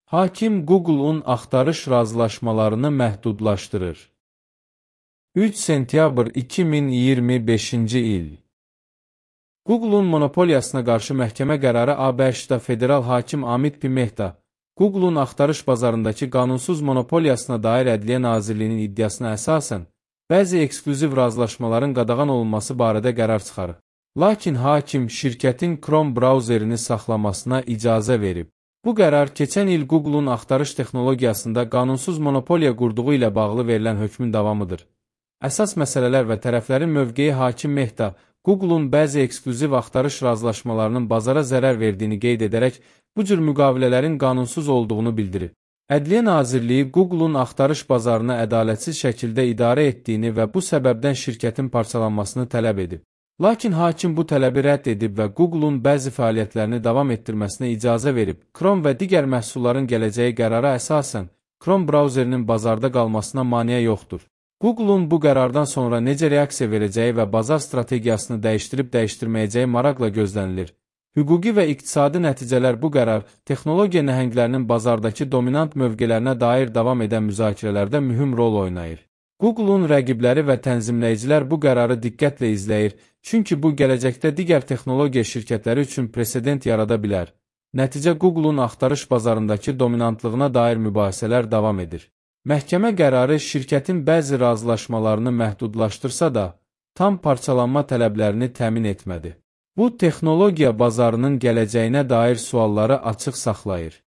Hakim Google-un axtarış razılaşmalarını məhdudlaşdırır. 3 sentyabr 2025-ci il. Google-un monopoliyasına qarşı məhkəmə qərarı ABŞ-da federal hakim Amit P. Mehta, Google-un axtarış bazarındakı qanunsuz monopoliyasına dair Ədliyyə Nazirliyinin iddiasına əsasən, bəzi eksklüziv razılaşmaların qadağan olunması barədə qərar çıxarır. Lakin hakim şirkətin Chrome brauzerini saxlamasına icazə verib. Bu qərar keçən il Google-un axtarış texnologiyasında qanunsuz monopoliya qurduğu ilə bağlı verilən hökmün davamıdır. Əsas məsələlər və tərəflərin mövqeyi hakim Mehta, Google-un bəzi eksklüziv axtarış razılaşmalarının bazara zərər verdiyini qeyd edərək, bu cür müqavilələrin qanunsuz olduğunu bildirib. Ədliyyə Nazirliyi Google-un axtarış bazarını ədalətsiz şəkildə idarə etdiyini və bu səbəbdən şirkətin parçalanmasını tələb edib. Lakin hakim bu tələbi rədd edib və Google-un bəzi fəaliyyətlərini davam etdirməsinə icazə verib. Chrome və digər məhsulların gələcəyi qərara əsasən, Chrome brauzerinin bazarda qalmasına maneə yoxdur. Google-un bu qərardan sonra necə reaksiya verəcəyi və bazar strategiyasını dəyişdirib-dəyişdirməyəcəyi maraqla gözlənilir. Hüquqi və iqtisadi nəticələr bu qərar, texnologiya nəhənglərinin bazardakı dominant mövqelərinə dair davam edən müzakirələrdə mühüm rol oynayır. Google-un rəqibləri və tənzimləyicilər bu qərarı diqqətlə izləyir, çünki bu gələcəkdə digər texnologiya şirkətləri üçün presedent yarada bilər. Nəticə Google-un axtarış bazarındakı dominantlığına dair mübahisələr davam edir. Məhkəmə qərarı şirkətin bəzi razılaşmalarını məhdudlaşdırsa da, tam parçalanma tələblərini təmin etmədi. Bu, texnologiya bazarının gələcəyinə dair sualları açıq saxlayır.